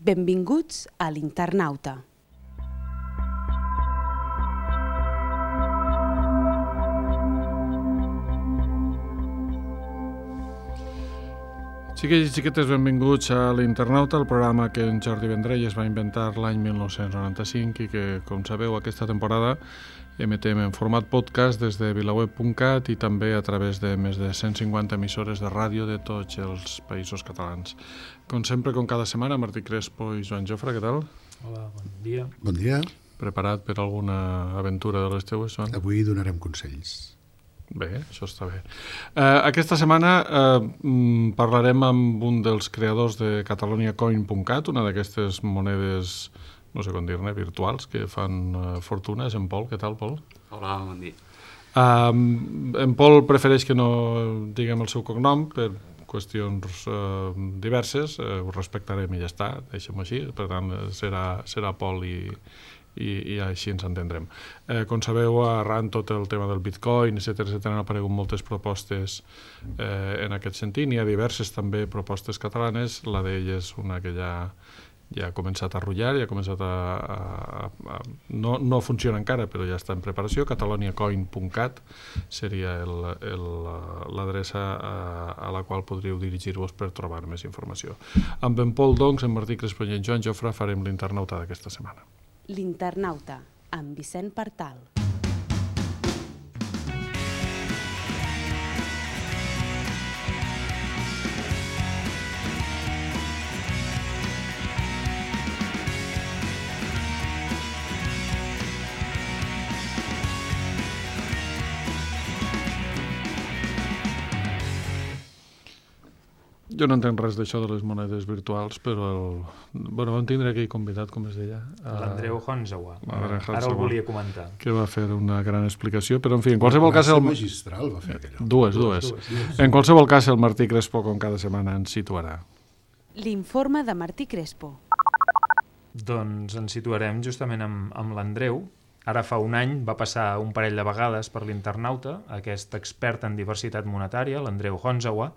Benvinguts a l'Internauta. Xiquets i xiquetes, benvinguts a l'Internauta, el programa que en Jordi Vendrell es va inventar l'any 1995 i que, com sabeu, aquesta temporada emetem en format podcast des de vilaweb.cat i també a través de més de 150 emissores de ràdio de tots els països catalans. Com sempre, com cada setmana, Martí Crespo i Joan Jofre, què tal? Hola, bon dia. Bon dia. Preparat per alguna aventura de les teues, Joan? Avui donarem consells. Bé, això està bé. Aquesta setmana parlarem amb un dels creadors de cataloniacoin.cat, una d'aquestes monedes, no sé com dir-ne, virtuals, que fan fortunes. En Pol, què tal, Pol? Hola, bon dia. En Pol prefereix que no diguem el seu cognom per qüestions diverses, ho respectarem i ja està, deixem-ho així, per tant serà Pol i així ens entendrem. Com sabeu, arran tot el tema del Bitcoin, etc., han aparegut moltes propostes en aquest sentit. N'hi ha diverses també propostes catalanes, la d'elles una que ja ha començat a rotllar, ja ha començat no funciona encara, però ja està en preparació. cataloniacoin.cat seria l'adreça a la qual podríeu dirigir-vos per trobar més informació. Amb en Pol, doncs, en Martí Crespo i en Joan Jofre farem l'Internauta d'aquesta setmana. L'Internauta, amb Vicent Partal. Jo no entenc res d'això de les monedes virtuals, però vam tindre aquell convidat, com es deia? L'Andreu Honzawa. Ara el volia comentar. Que va fer una gran explicació, però en fi, en qualsevol cas... magistral va fer allò. Dues. En qualsevol cas, el Martí Crespo, com cada setmana, ens situarà. L'informe de Martí Crespo. Doncs ens situarem justament amb l'Andreu. Ara fa un any va passar un parell de vegades per l'Internauta, aquest expert en diversitat monetària, l'Andreu Honzawa,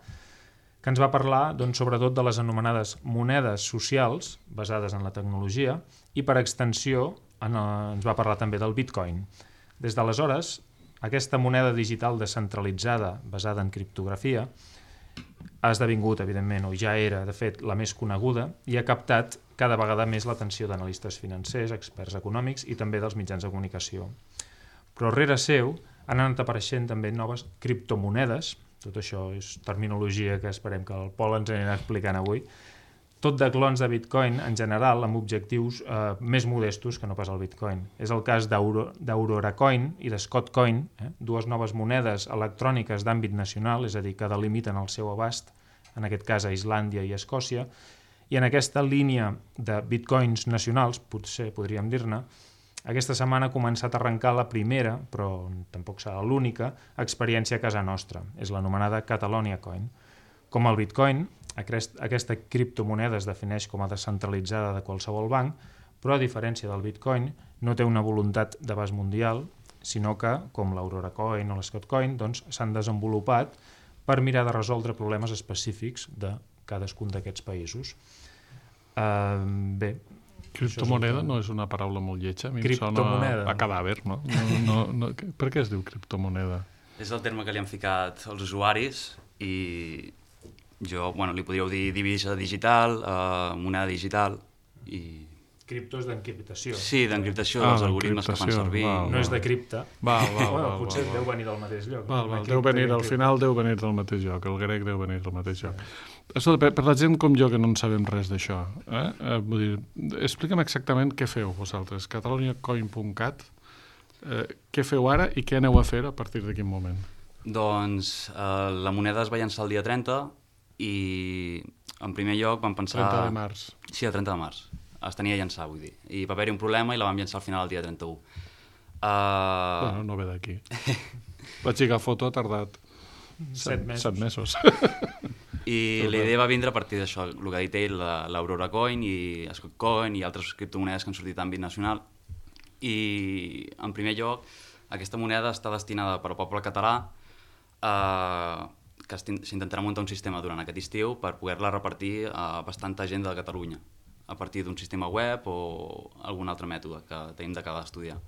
que ens va parlar sobretot de les anomenades monedes socials basades en la tecnologia i per extensió ens va parlar també del Bitcoin. Des d'aleshores, aquesta moneda digital descentralitzada basada en criptografia ha esdevingut, evidentment, o ja era, de fet, la més coneguda i ha captat cada vegada més l'atenció d'analistes financers, experts econòmics i també dels mitjans de comunicació. Però rere seu han anat apareixent també noves criptomonedes. Tot això és terminologia que esperem que el Pol ens anirà explicant avui. Tot de clons de Bitcoin, en general, amb objectius més modestos que no pas el Bitcoin. És el cas d'Aurora Coin i de Scott Coin, dues noves monedes electròniques d'àmbit nacional, és a dir, que delimiten el seu abast, en aquest cas a Islàndia i Escòcia, i en aquesta línia de Bitcoins nacionals, potser podríem dir-ne, aquesta setmana ha començat a arrencar la primera, però tampoc serà l'única, experiència a casa nostra. És l'anomenada Catalonia Coin. Com el Bitcoin, aquesta criptomoneda es defineix com a descentralitzada de qualsevol banc, però a diferència del Bitcoin no té una voluntat d'abast mundial, sinó que, com l'Aurora Coin o l'Scott Coin, s'han desenvolupat per mirar de resoldre problemes específics de cadascun d'aquests països. Bé, criptomoneda no és una paraula molt lletja, a mi em sona a cadàver, no? Per què es diu criptomoneda? És el terme que li han ficat els usuaris i jo, li podríeu dir divisa digital, moneda digital i... Cripto és d'encriptació. Sí, d'encriptació dels algoritmes que fan servir. No és de cripta. Potser deu venir del mateix lloc. Al final deu venir del mateix lloc, el grec deu venir del mateix lloc. Per la gent com jo que no en sabem res d'això, vull dir, explica'm exactament què feu vosaltres, cataloniacoin.cat, què feu ara i què aneu a fer a partir de quin moment? Doncs la moneda es va llançar el dia 30 i en primer lloc vam pensar... 30 de març. Sí, el 30 de març. Es tenia a llançar, vull dir. I va haver-hi un problema i la vam llançar al final el dia 31. No ve d'aquí. Vaig lligar foto, ha tardat 7 mesos. I la idea va vindre a partir d'això, el que ha dit ell, l'Aurora Coin i Scott Coin i altres criptomonedes que han sortit d'àmbit nacional. I, en primer lloc, aquesta moneda està destinada per al poble català, que s'intentarà muntar un sistema durant aquest estiu per poder-la repartir a bastanta gent de Catalunya. a partir d'un sistema web o algun altre mètode que tenim d'acabar d'estudiar.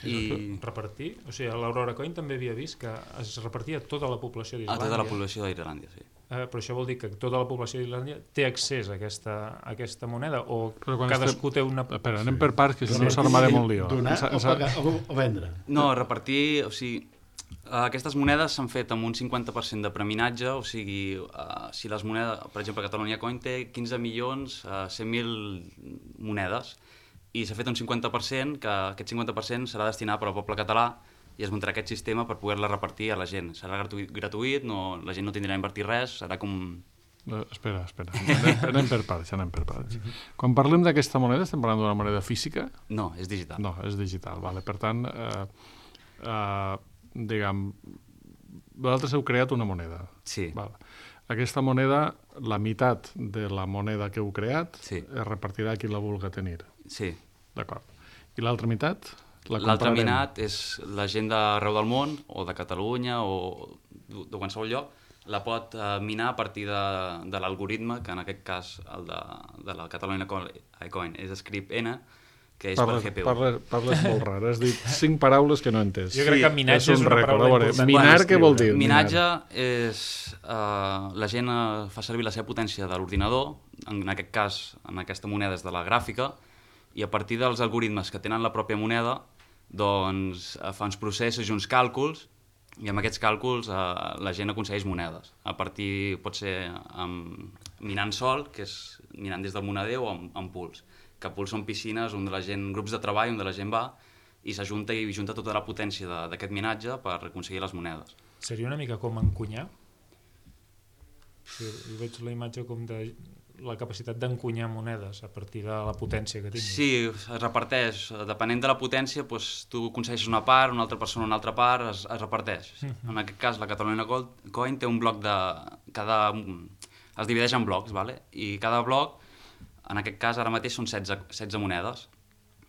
I repartir? O sigui, a l'Aurora Coin també havia vist que es repartia a tota la població A d'Islàndia. tota la població d'Irlàndia, sí. Però això vol dir que tota la població d'Islàndia té accés a aquesta moneda o Però quan cadascú té una... Espera, anem per parts, que si no s'armarem un lío. Donar o pagar o vendre. No, repartir, o sigui, aquestes monedes s'han fet amb un 50% de preminatge, o sigui, si les monedes, per exemple, Catalunya Coin té 15 milions 100.000 monedes, i s'ha fet un 50%, que aquest 50% serà destinat per al poble català i es muntarà aquest sistema per poder-la repartir a la gent. Serà gratuït, no, la gent no tindrà a invertir res, serà com... Espera. Anem per parts. Quan parlem d'aquesta moneda, estem parlant d'una moneda física? No, és digital. No, és digital, vale. Per tant, diguem, vosaltres heu creat una moneda. Sí. Vale. Aquesta moneda, la meitat de la moneda que heu creat, Sí. es repartirà a qui la vulga tenir. Sí. D'acord. I l'altra meitat? L'altra meitat és la gent d'arreu del món, o de Catalunya, o de qualsevol lloc, la pot minar a partir de l'algoritme, que en aquest cas el de la Catalunya Coin és Script N, que és per GPU. Parles molt rar, has dit 5 paraules que no he entès. Jo crec que minatge és una paraula important. Minar, què vol dir? Minatge és... la gent fa servir la seva potència de l'ordinador, en aquest cas, en aquesta moneda és de la gràfica, i a partir dels algoritmes que tenen la pròpia moneda, doncs fa uns processos i uns càlculs, i amb aquests càlculs la gent aconsegueix monedes. A partir, pot ser minant sol, que és minant des del moneder, o amb pools. Que pools són piscines on la gent, grups de treball on la gent va i s'ajunta i junta tota la potència d'aquest minatge per aconseguir les monedes. Seria una mica com encunyar? Jo veig la imatge com de la capacitat d'encunyar monedes a partir de la potència que tinguis. Sí, es reparteix. Depenent de la potència, doncs, tu aconsegueixes una part, una altra persona una altra part, es reparteix. En aquest cas, la Catalunya Coin té un bloc de... es divideix en blocs, ¿vale? I cada bloc, en aquest cas, ara mateix són 16 monedes.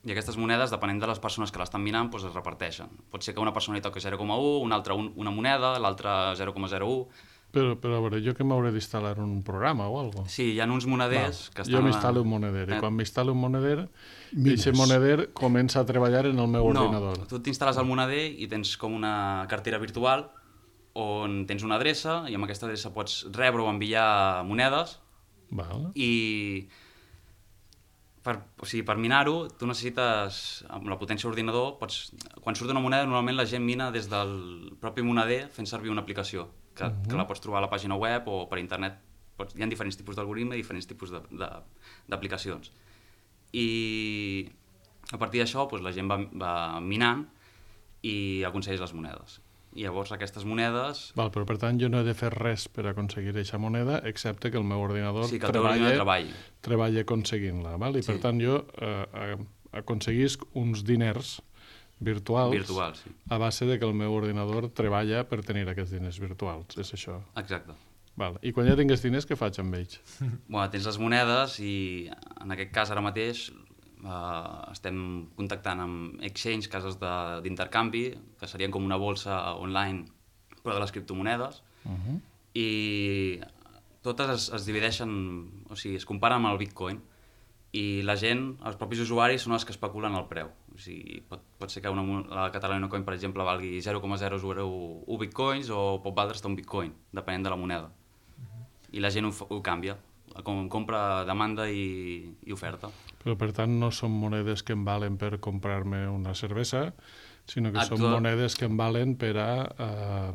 I aquestes monedes, depenent de les persones que l'estan minant, doncs es reparteixen. Pot ser que una persona hi toqui 0,1, una altra una moneda, l'altra 0,01... Però a veure, jo que m'hauré d'instal·lar un programa o alguna cosa? Sí, hi ha uns moneders que estan... Jo m'instal·lo un moneder, i quan m'instal·lo un moneder, aquest moneder comença a treballar en el meu ordinador. No, tu t'instal·les al moneder i tens com una cartera virtual on tens una adreça i amb aquesta adreça pots rebre o enviar monedes. Val. I per minar-ho tu necessites, amb la potència d'ordinador, quan surt una moneda normalment la gent mina des del propi moneder fent servir una aplicació que la pots trobar a la pàgina web o per internet. Hi ha diferents tipus d'algoritme i diferents tipus d'aplicacions. I a partir d'això la gent va minant i aconsegueix les monedes. I llavors aquestes monedes... Val, però per tant jo no he de fer res per aconseguir aquesta moneda, excepte que el meu ordinador treballi aconseguint-la. I per tant jo aconseguisc uns diners virtuals sí. A base de que el meu ordinador treballa per tenir aquests diners virtuals, és això? Exacte. Val. I quan ja tingués diners, què faig amb ells? Tens les monedes i en aquest cas ara mateix estem contactant amb exchange, cases d'intercanvi, que serien com una bolsa online però de les criptomonedes, i totes es divideixen, o sigui, es comparen amb el Bitcoin, i la gent, els propis usuaris, són els que especulen el preu. O sigui, pot ser que la Catalunya Coin, per exemple, valgui 0,001 bitcoins o pot valdre un bitcoin, depenent de la moneda. I la gent ho canvia, com compra, demanda i oferta. Però per tant no són monedes que em valen per comprar-me una cervesa, sinó que són monedes que em valen per a,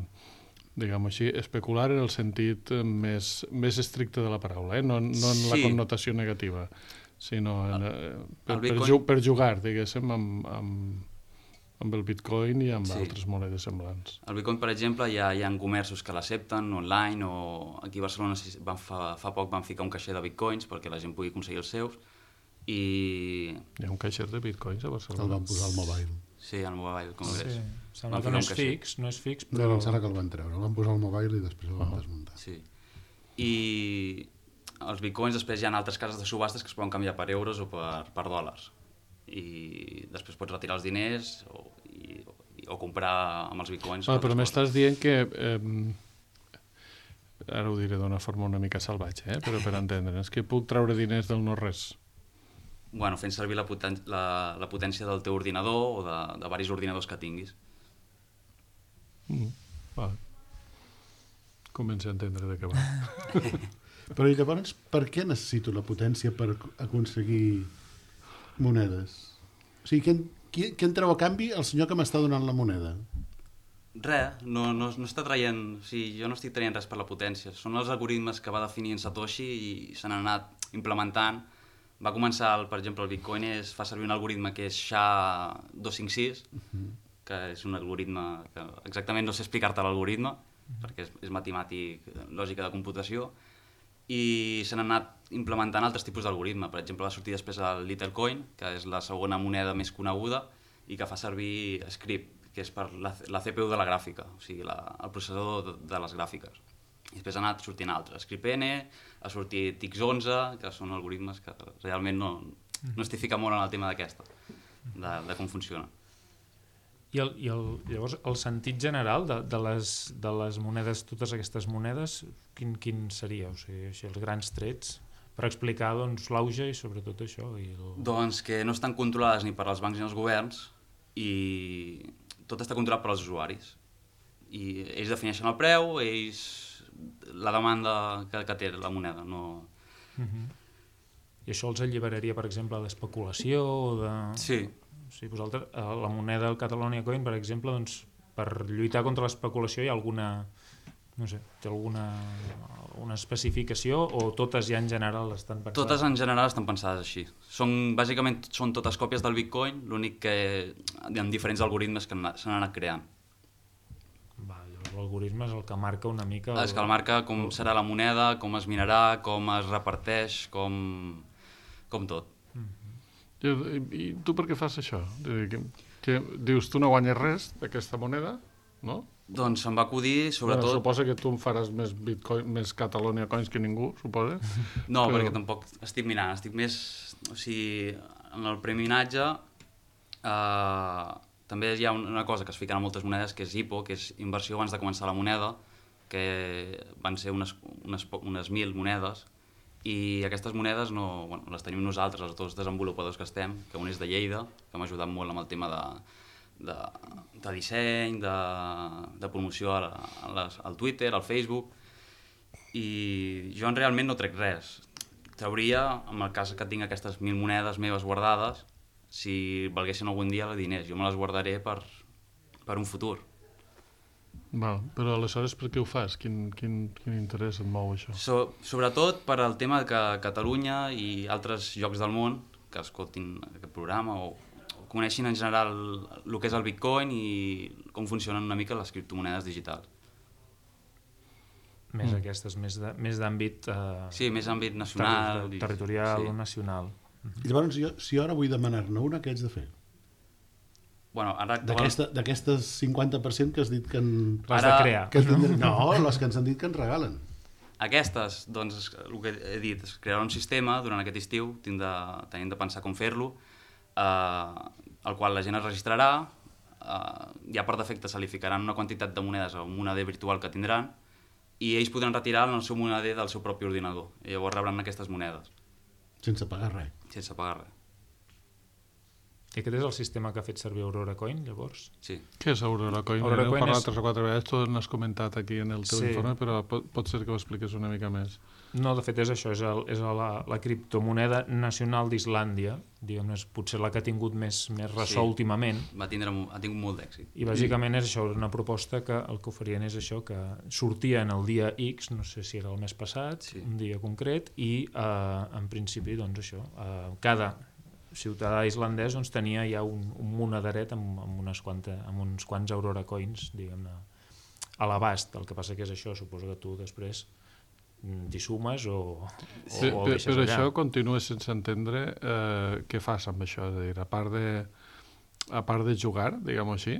diguem-ho així, especular en el sentit més estricte de la paraula, no en la connotació negativa, sinó per jugar, diguéssim, amb el Bitcoin i amb altres monedes semblants. El Bitcoin, per exemple, hi ha comerços que l'accepten online, o aquí a Barcelona fa poc van ficar un caixer de Bitcoins perquè la gent pugui aconseguir els seus. Hi ha un caixer de Bitcoins a Barcelona? El van posar al Mobile. Sí, al Mobile Congress. Sembla que no és fix, però... Em sembla que el van treure, el van posar al Mobile i després el van desmuntar. Sí. I els bitcoins després hi ha altres cases de subhastes que es poden canviar per euros o per dòlars. I després pots retirar els diners o comprar amb els bitcoins. Però m'estàs dient que ara ho diré d'una forma una mica salvatge, però per entendre'ns, que puc treure diners del no-res. Bueno, fent servir la potència del teu ordinador o de diversos ordinadors que tinguis. Vale. Començo a entendre de què va. Però i llavors, per què necessito la potència per aconseguir monedes? O sigui, què en treu a canvi el senyor que m'està donant la moneda? Res, no està traient... O sigui, jo no estic traient res per la potència. Són els algoritmes que va definir en Satoshi i s'han anat implementant. Va començar, per exemple, el Bitcoin fa servir un algoritme que és SHA-256, que és un algoritme que exactament no sé explicar-te l'algoritme, perquè és matemàtic, lògica de computació, i s'han anat implementant altres tipus d'algoritme. Per exemple, va sortir després el Littlecoin, que és la segona moneda més coneguda i que fa servir Script, que és per la CPU de la gràfica, o sigui, el processador de les gràfiques. I després ha anat sortint altres. ScriptN, ha sortit X11, que són algoritmes que realment no estic ficant molt en el tema d'aquesta, de com funciona. Llavors, el sentit general de les monedes, totes aquestes monedes, quin seria? O sigui, els grans trets per explicar l'auge i sobretot això. Doncs que no estan controlades ni per als bancs ni els governs i tot està controlat per als usuaris. I ells defineixen el preu, la demanda que té la moneda. No... I això els alliberaria, per exemple, d'especulació? Sí. Sí, vosaltres, la moneda del Catalonia Coin, per exemple, doncs, per lluitar contra l'especulació hi ha alguna, no sé, té alguna especificació o totes ja en general estan pensades? Totes en general estan pensades així. Bàsicament són totes còpies del Bitcoin, l'únic que hi ha diferents algoritmes que s'han anat creant. L'algoritme és el que marca una mica... És que el marca com serà la moneda, com es minarà, com es reparteix, com tot. I tu per què fas això? Que dius, tu no guanyes res d'aquesta moneda, no? Doncs se'm va acudir, sobretot... Bueno, suposa que tu em faràs més Bitcoin, més Catalonia Coins que ningú, suposa? No, perquè tampoc estic minant, estic més... O sigui, en el preminatge també hi ha una cosa que es fiquen a moltes monedes, que és IPO, que és inversió abans de començar la moneda, que van ser unes 1.000 monedes, i aquestes monedes les tenim nosaltres, els dos desenvolupadors que estem, que un és de Lleida, que m'ha ajudat molt amb el tema de disseny, de promoció al Twitter, al Facebook, i jo realment no trec res. Trauria, en el cas que tinc aquestes 1.000 monedes meves guardades, si valguessin algun dia diners, jo me les guardaré per un futur. Val, però aleshores per què ho fas? Quin interès et mou això? Sobretot per al tema que Catalunya i altres llocs del món que escoltin aquest programa o coneixin en general el que és el Bitcoin i com funcionen una mica les criptomonedes digitals. Més aquestes, més d'àmbit... Sí, més àmbit nacional. Territorial o nacional. I llavors, si jo ara vull demanar-ne una, què haig de fer? Bueno, d'aquestes 50% que has dit que... L'has de crear. No, les que ens han dit que ens regalen. Aquestes, doncs, el que he dit, és crear un sistema durant aquest estiu, tenim de pensar com fer-lo, al qual la gent es registrarà, ja per defecte se li ficaran una quantitat de monedes a un moneder virtual que tindran, i ells podran retirar en el seu moneder del seu propi ordinador, i llavors rebran aquestes monedes. Sense pagar res. Sense pagar res. I aquest és el sistema que ha fet servir Aurora Coin, llavors? Sí. Què és Aurora Coin? Aurora Coin parlat 3 o 4 vegades, tu n'has comentat aquí en el teu informe, però pot ser que ho expliques una mica més. No, de fet és això, és la criptomoneda nacional d'Islàndia, diguem-ne, potser la que ha tingut més ressò últimament. Ha tingut molt d'èxit. I bàsicament és això, una proposta que el que oferien és això, que sortia en el dia X, no sé si era el mes passat, un dia concret, i en principi, doncs això, cada ciutadà islandès doncs, tenia ja un monederet amb uns quants Aurora Coins, diguem-ne, a l'abast. El que passa que és això, suposo que tu després t'hi sumes o deixes allà. Però això continues sense entendre què fas amb això, és a dir, a part de jugar, diguem-ho així.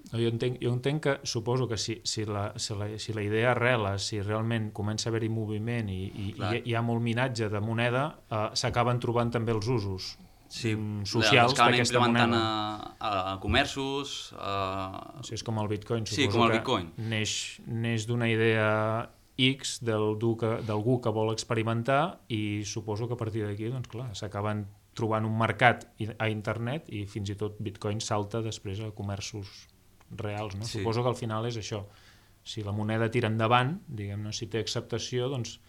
Jo entenc que, suposo que si la idea arrela, si realment comença a haver-hi moviment i hi ha molt minatge de moneda, s'acaben trobant també els usos. socials d'aquesta moneda. A comerços... És com el Bitcoin, suposo. Sí, com el Bitcoin. Neix d'una idea X d'algú que vol experimentar i suposo que a partir d'aquí, doncs clar, s'acaben trobant un mercat a internet i fins i tot Bitcoin salta després a comerços reals, no? Sí. Suposo que al final és això. Si la moneda tira endavant, diguem-ne, si té acceptació, doncs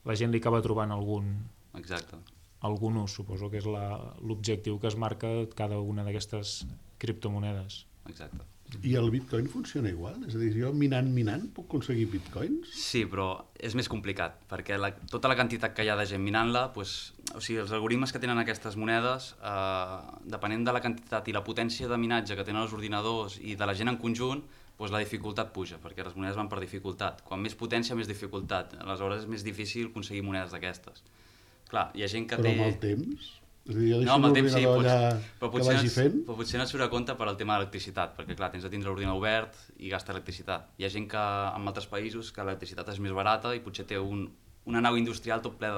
la gent li acaba trobant algun ús. Suposo que és l'objectiu que es marca cada una d'aquestes criptomonedes. Exacte. I el Bitcoin funciona igual? És a dir, jo minant puc aconseguir Bitcoins? Sí, però és més complicat, perquè tota la quantitat que hi ha de gent minant-la, doncs, o sigui, els algoritmes que tenen aquestes monedes, depenent de la quantitat i la potència de minatge que tenen els ordinadors i de la gent en conjunt, doncs la dificultat puja, perquè les monedes van per dificultat. Quan més potència, més dificultat. Aleshores és més difícil aconseguir monedes d'aquestes. Clar, hi ha gent que té... Però amb el temps? És a dir, jo deixo l'ordinador allà que vagi fent? Però potser no et surt a compte per al tema de l'electricitat, perquè clar, tens de tindre l'ordinador obert i gasta electricitat. Hi ha gent que en altres països que l'electricitat és més barata i potser té una nau industrial tot ple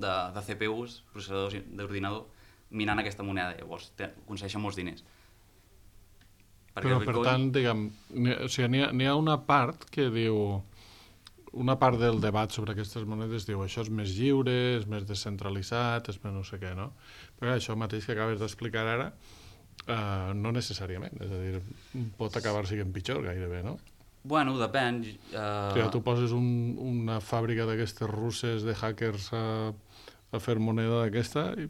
de CPUs, processadors d'ordinador, minant aquesta moneda. Llavors aconsegueixen molts diners. Però per tant, diguem, n'hi ha una part que diu... Una part del debat sobre aquestes monedes diu això és més lliure, és més descentralitzat, és més no sé què, no? Però això mateix que acabes d'explicar ara, no necessàriament. És a dir, pot acabar sent pitjor gairebé, no? Bueno, depèn. Tu poses una fàbrica d'aquestes russes de hackers a fer moneda d'aquesta i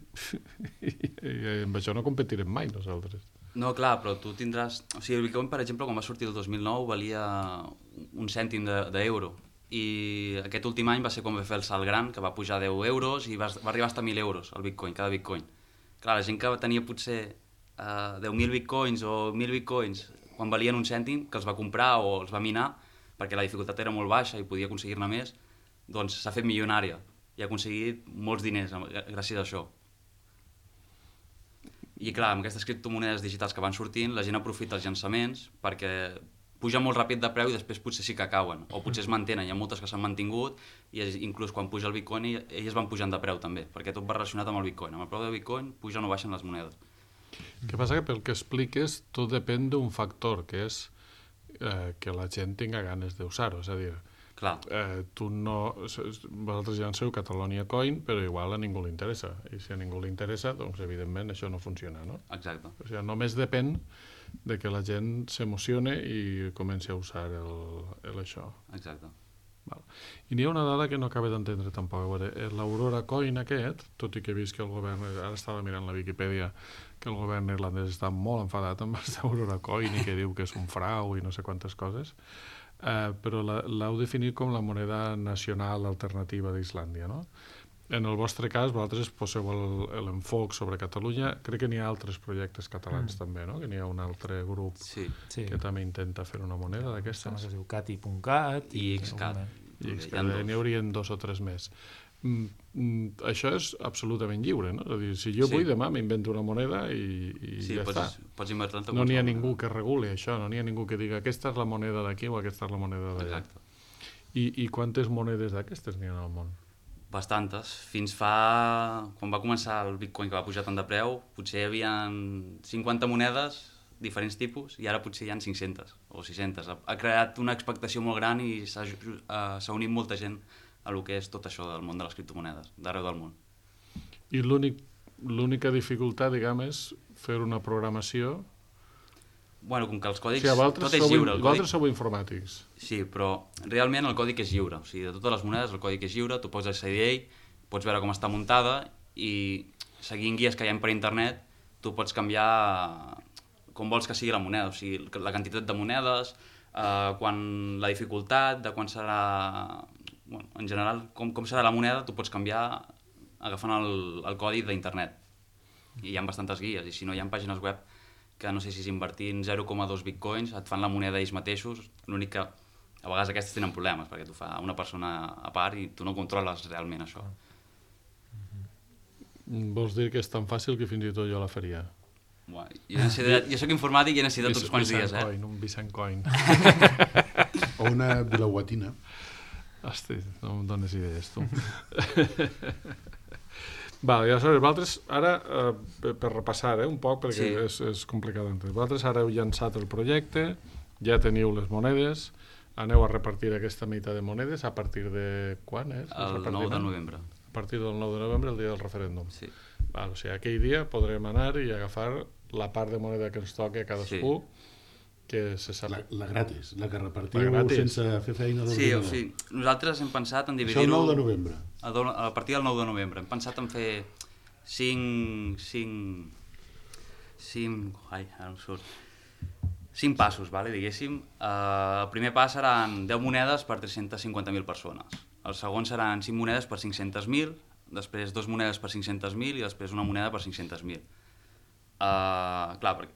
amb això no competirem mai nosaltres. No, clar, però tu tindràs... O sigui, el Bitcoin, per exemple, quan va sortir el 2009, valia un cèntim d'euro. I aquest últim any va ser quan va fer el salt gran, que va pujar 10 euros i va arribar fins a 1.000 euros el Bitcoin, cada Bitcoin. Clar, la gent que tenia potser 10.000 Bitcoins o 1.000 Bitcoins quan valien un cèntim, que els va comprar o els va minar, perquè la dificultat era molt baixa i podia aconseguir-ne més, doncs s'ha fet milionària i ha aconseguit molts diners gràcies a això. I clar, amb aquestes criptomonedes digitals que van sortint, la gent aprofita els llançaments perquè puja molt ràpid de preu i després potser sí que cauen, o potser es mantenen, hi ha moltes que s'han mantingut i inclús quan puja el Bitcoin elles van pujant de preu també, perquè tot va relacionat amb el Bitcoin. Amb el preu del Bitcoin pugen o baixen les monedes. El que passa que pel que expliques tot depèn d'un factor, que és que la gent tinga ganes d'usar-ho, és a dir, tu no... Vosaltres llanceu Catalonia Coin, però igual a ningú li interessa, i si a ningú li interessa, doncs evidentment això no funciona, no? Exacte. O sigui, només depèn de que la gent s'emocione i comenci a usar això. Exacte. Val. I n'hi ha una dada que no acabo d'entendre tampoc. A veure, l'Aurora Coin aquest, tot i que he vist que el govern, ara estava mirant la Viquipèdia, que el govern irlandès està molt enfadat amb l'Aurora Coin i que diu que és un frau i no sé quantes coses, però l'heu definit com la moneda nacional alternativa d'Islàndia, no? En el vostre cas, vosaltres poseu l'enfoc sobre Catalunya. Crec que n'hi ha altres projectes catalans també, no? Que n'hi ha un altre grup que també intenta fer una moneda d'aquestes. Que es diu Cati.cat i Xcat. N'hi haurien 2 o 3 més. Això és absolutament lliure, no? És a dir, si jo vull demà m'invento una moneda i ja està. Pots inventar-te. No n'hi ha ningú que reguli això, no n'hi ha ningú que diga aquesta és la moneda d'aquí o aquesta és la moneda d'allà. I quantes monedes d'aquestes n'hi ha al món? Bastantes. Fins fa... Quan va començar el Bitcoin, que va pujar tant de preu, potser hi havia 50 monedes, diferents tipus, i ara potser hi ha 500 o 600. Ha creat una expectació molt gran i s'ha unit molta gent a lo que és tot això del món de les criptomonedes, d'arreu del món. I l'única dificultat, diguem, és fer una programació... Bueno, com que els còdics... O sigui, tot és lliure. Vosaltres sou informàtics. Sí, però realment el còdic és lliure. O sigui, de totes les monedes el còdic és lliure, tu pots accedir a ell, pots veure com està muntada i seguint guies que hi ha per internet tu pots canviar com vols que sigui la moneda. O sigui, la quantitat de monedes, la dificultat, de quan serà... Bueno, en general, com serà la moneda, tu pots canviar agafant el codi d'internet. I hi ha bastantes guies, i si no hi ha pàgines web que no sé si invertint 0,2 bitcoins et fan la moneda ells mateixos, l'únic que a vegades aquestes tenen problemes perquè t'ho fa una persona a part i tu no controles realment això. Vols dir que és tan fàcil que fins i tot jo la faria? Bueno, jo soc informàtic i he necessitat uns quants dies, Un Vicent Coin. O una vilauatina. Hosti, no em dones idees, tu. Val, i aleshores, vosaltres ara, per repassar un poc, perquè Sí. és complicat d'entendre, vosaltres ara heu llançat el projecte, ja teniu les monedes, aneu a repartir aquesta meitat de monedes a partir de quan és? El 9 de novembre. A partir del 9 de novembre, el dia del referèndum. Sí. Val, o sigui, aquell dia podrem anar i agafar la part de moneda que ens toqui a cadascú, que se sap... La gratis, la que repartiu La gratis. sense fer feina Sí, o d'ordinador. sigui, nosaltres hem pensat en Això el dividir-ho... 9 de novembre. A partir del 9 de novembre. Hem pensat en fer 5... Ai, ara em surt. 5 passos, vale, diguéssim. El primer pas seran 10 monedes per 350.000 persones. El segon seran 5 monedes per 500.000, després 2 monedes per 500.000 i després una moneda per 500.000. Clar, perquè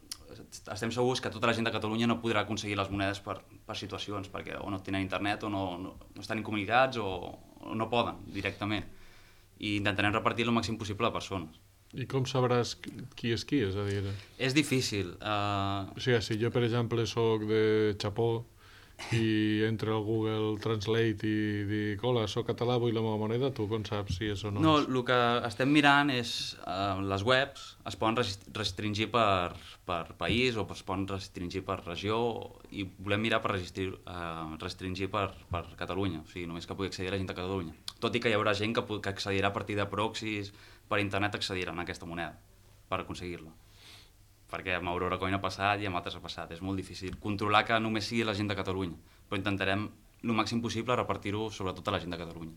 estem segurs que tota la gent de Catalunya no podrà aconseguir les monedes per situacions, perquè o no tenen internet o no estan incomunicats o no poden directament. I intentarem repartir el màxim possible de persones. I com sabràs qui? És a dir... És difícil. O sigui, si jo, per exemple, soc de Chapó i entre al Google Translate i dic, hola, soc català, vull la meva moneda, tu com saps si és o no? No, el que estem mirant és les webs es poden restringir per país o es poden restringir per regió i volem mirar per restringir per Catalunya, o sigui, només que pugui accedir a la gent de Catalunya. Tot i que hi haurà gent que accedirà a partir de proxys, per internet accediran a aquesta moneda per aconseguir-la. Perquè amb Aurora Coin ha passat i amb altres ha passat. És molt difícil controlar que només sigui la gent de Catalunya, però intentarem el màxim possible repartir-ho sobretot a la gent de Catalunya.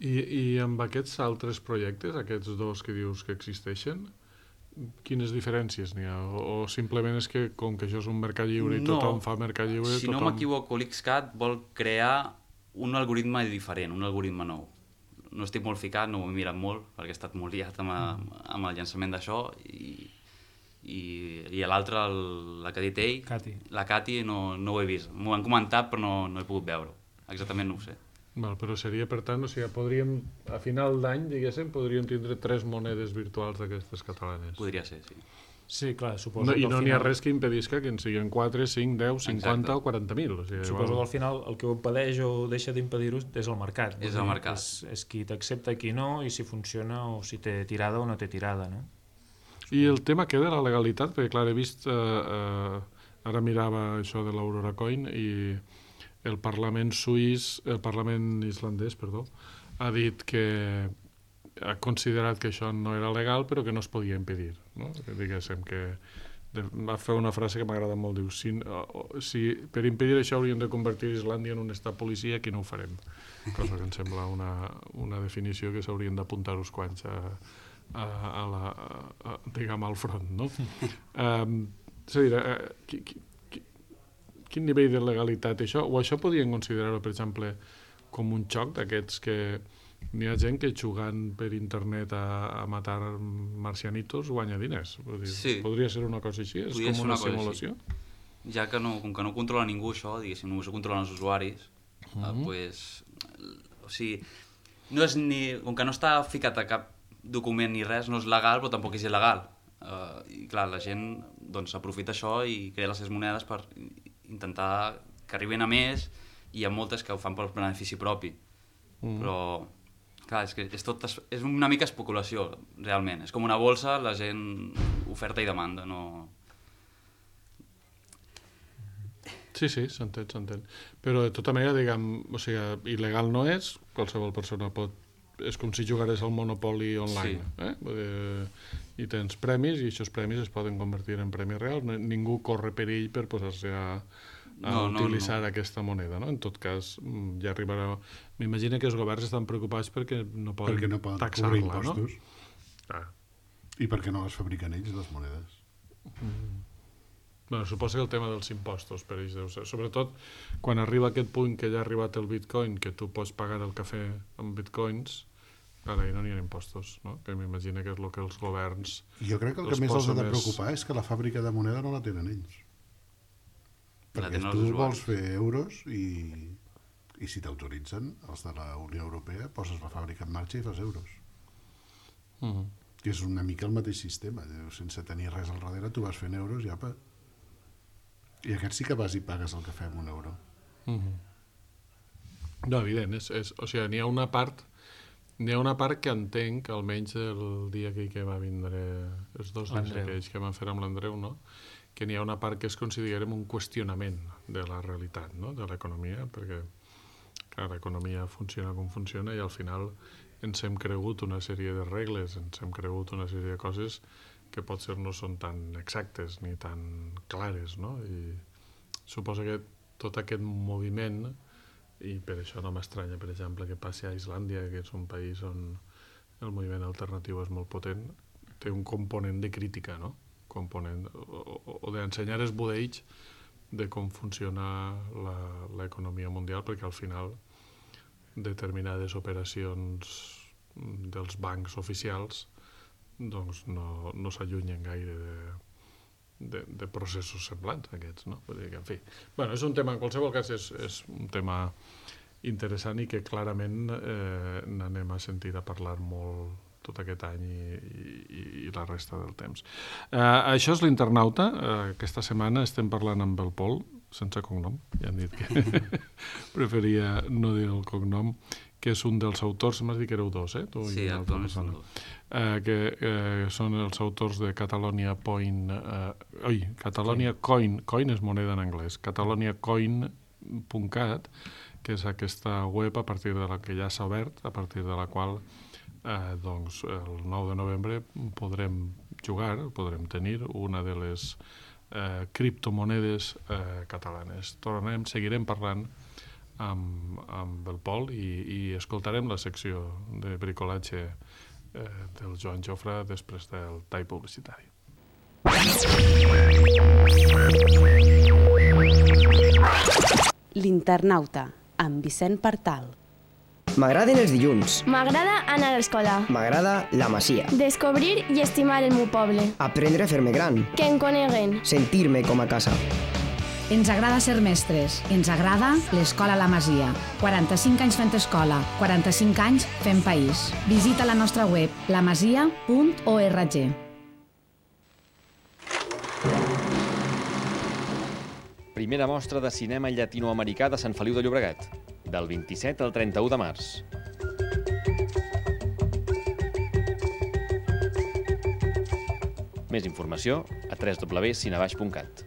I amb aquests altres projectes, aquests dos que dius que existeixen, quines diferències n'hi ha? O simplement és que com que això és un mercat lliure i tothom fa mercat lliure... Si no m'equivoco, l'XCAT vol crear un algoritme diferent, un algoritme nou. No estic molt ficat, no ho he mirat molt, perquè he estat molt liat amb el llançament d'això, i l'altre, la que ha dit ell, la Cati, no ho he vist. M'ho han comentat, però no he pogut veure. Exactament no ho sé. Val, però seria, per tant, o sigui, podríem, a final d'any, diguéssim, podríem tindre 3 monedes virtuals d'aquestes catalanes. Podria ser, sí. Sí, clar, suposo I que no n'hi ha res que impedisca que en siguin 4, 5, 10, 50 Exacte. o 40.000. O sigui, Suposo que al final el que ho impedeix o deixa d'impedir-ho és el mercat. És el mercat. És qui t'accepta, qui no, i si funciona o si té tirada o no té tirada, no? I el tema queda la legalitat, perquè clar, he vist, ara mirava això de l'Aurora Coin i el Parlament islandès, ha dit que ha considerat que això no era legal però que no es podia impedir, no? Que diguéssim que va fer una frase que m'agrada molt, diu, si per impedir això hauríem de convertir Islàndia en un estat policia, aquí no ho farem, cosa que em sembla una definició que s'haurien d'apuntar uns quants diguem, al front, no? És a dir, quin nivell de legalitat això, o això podien considerar-ho, per exemple, com un xoc d'aquests que n'hi ha gent que jugant per internet a matar marcianitos guanya diners. Sí. Podria ser una cosa així? És Podria com ser una una cosa simulació? així. Ja que com que no controla ningú això, diguéssim, només ho controlen els usuaris, pues, o sigui, no és com que no està ficat a cap document ni res, no és legal, però tampoc és il·legal. I clar, la gent doncs aprofita això i crea les seves monedes per intentar que arribin a més, i hi ha moltes que ho fan per benefici propi. Però clar, és que és una mica especulació, realment. És com una bolsa, la gent oferta i demanda, no... Sí, s'entén. Però de tota manera, diguem, o sigui, il·legal no és, qualsevol persona pot... És com si jugares al Monopoly online. Sí. I tens premis, i aquests premis es poden convertir en premis reals. Ningú corre perill per posar-se a utilitzar aquesta moneda, no? En tot cas, ja arribarà... M'imagino que els governs estan preocupats perquè no poden taxar-la, cobrir impostos. No? I perquè no les fabriquen ells, les monedes. Bueno, suposo que el tema dels impostos per ells deu ser. Sobretot quan arriba aquest punt que ja ha arribat el bitcoin, que tu pots pagar el cafè amb bitcoins, ara no n'hi ha impostos, no? Que m'imagino que és el que els governs... Jo crec que el que més els ha de preocupar és que la fàbrica de moneda no la tenen ells. Perquè tu vols fer euros i si t'autoritzen, els de la Unió Europea, poses la fàbrica en marxa i fas euros. Que és una mica el mateix sistema. Sense tenir res al darrere, tu vas fent euros i apa. I aquest sí que vas i pagues el cafè amb un euro. No, evident. O sigui, n'hi ha una part N'hi ha una part que entenc, almenys el dia que va vindre, els 2 dies aquells que van fer amb l'Andreu, no? Que n'hi ha una part que es considera un qüestionament de la realitat, no? De l'economia, perquè clar, l'economia funciona com funciona i al final ens hem cregut una sèrie de regles, ens hem cregut una sèrie de coses que potser no són tan exactes ni tan clares, no? I suposo que tot aquest moviment, i per això no m'estranya, per exemple, que passi a Islàndia, que és un país on el moviment alternatiu és molt potent, té un component de crítica, no? O d'ensenyar els budells de com funciona l'economia mundial, perquè al final determinades operacions dels bancs oficials doncs no s'allunyen gaire de processos semblants aquests, no? Vull dir que, en fi, bueno, és un tema, en qualsevol cas és un tema interessant i que clarament n'anem a sentir a parlar molt tot aquest any i la resta del temps. Això és l'Internauta. Aquesta setmana estem parlant amb el Pol, sense cognom, ja han dit que preferia no dir el cognom, que és un dels autors, m'has dit que éreu 2, tu sí, actualment són 2. Que són els autors de Catalonia Point... Catalonia Coin, coin és moneda en anglès, cataloniacoin.cat, que és aquesta web a partir de la que ja s'ha obert, a partir de la qual doncs, el 9 de novembre podrem jugar, podrem tenir una de les criptomonedes catalanes. Seguirem parlant amb el Pol i escoltarem la secció de bricolatge del Joan Jofre després del tall publicitari. L'Internauta, amb Vicent Partal. M'agraden els dilluns. M'agrada anar a l'escola. M'agrada la Masia. Descobrir i estimar el meu poble. Aprendre a fer-me gran. Que em coneguen. Sentir-me com a casa. Ens agrada ser mestres. Ens agrada l'Escola La Masia. 45 anys fent escola, 45 anys fent país. Visita la nostra web, lamasia.org. Primera mostra de cinema llatinoamericà de Sant Feliu de Llobregat, del 27 al 31 de març. Més informació a www.cinebaix.cat.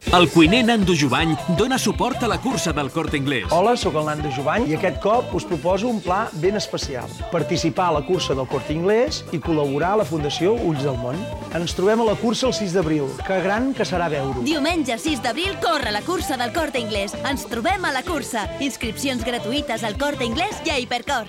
El cuiner Nando Jovany dona suport a la cursa del Corte Inglés. Hola, sóc el Nando Jovany i aquest cop us proposo un pla ben especial. Participar a la cursa del Corte Inglés i col·laborar a la Fundació Ulls del Món. Ens trobem a la cursa el 6 d'abril. Que gran que serà veure-ho. Diumenge 6 d'abril corre la cursa del Corte Inglés. Ens trobem a la cursa. Inscripcions gratuïtes al Corte Inglés i a Hipercor.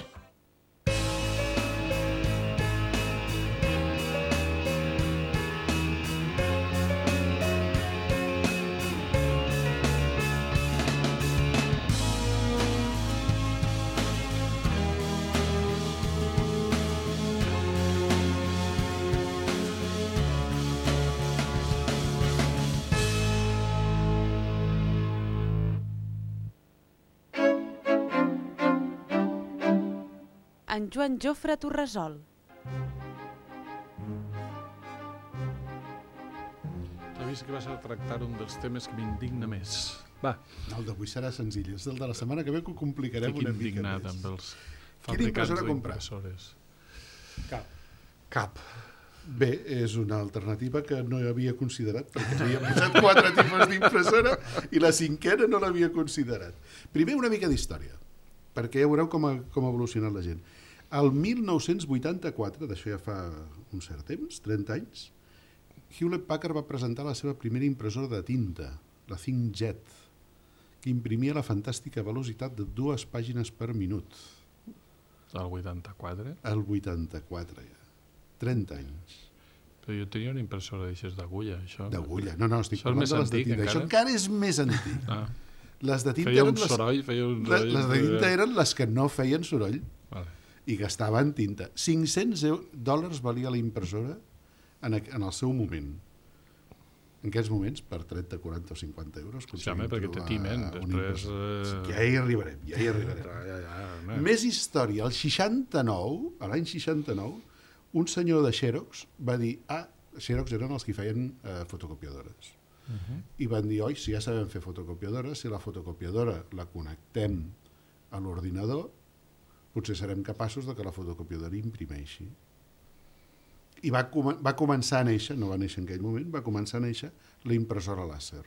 En Joan Jofre Torresol. T'ha vist que vas a tractar un dels temes que m'indigna més. Va. El d'avui serà senzill. És el de la setmana que ve que ho complicarem una mica més. Estic indignat amb els fabricants d'impressores. Cap. Bé, és una alternativa que no havia considerat, perquè havia posat 4 tipus d'impressora i la 5a no l'havia considerat. Primer, una mica d'història, perquè ja veureu com ha evolucionat la gent. El 1984, d'això ja fa un cert temps, 30 anys, Hewlett Packard va presentar la seva primera impressora de tinta, la ThinkJet, que imprimia la fantàstica velocitat de 2 pàgines per minut. El 84? El 84, ja. 30 anys. Però jo tenia una impressora d'aixes d'agulla, això. D'agulla? No, estic parlant de les de tinta. Això encara és més antic. Les de tinta feia un soroll. Les de tinta eren les que no feien soroll. Vale. I gastaven tinta. $500 valia la impressora en el seu moment. En aquests moments, per 30, 40 o 50 euros... Sí, home, perquè te timen. Després... Ja hi arribarem. Més història. L'any 69, un senyor de Xerox va dir... Xerox eren els que feien fotocopiadores. I van dir, oi, si ja sabem fer fotocopiadores, si la fotocopiadora la connectem a l'ordinador, potser serem capaços de que la fotocopiadora imprimeixi. I va començar a néixer, no va néixer en aquell moment, va començar a néixer la impressora làser.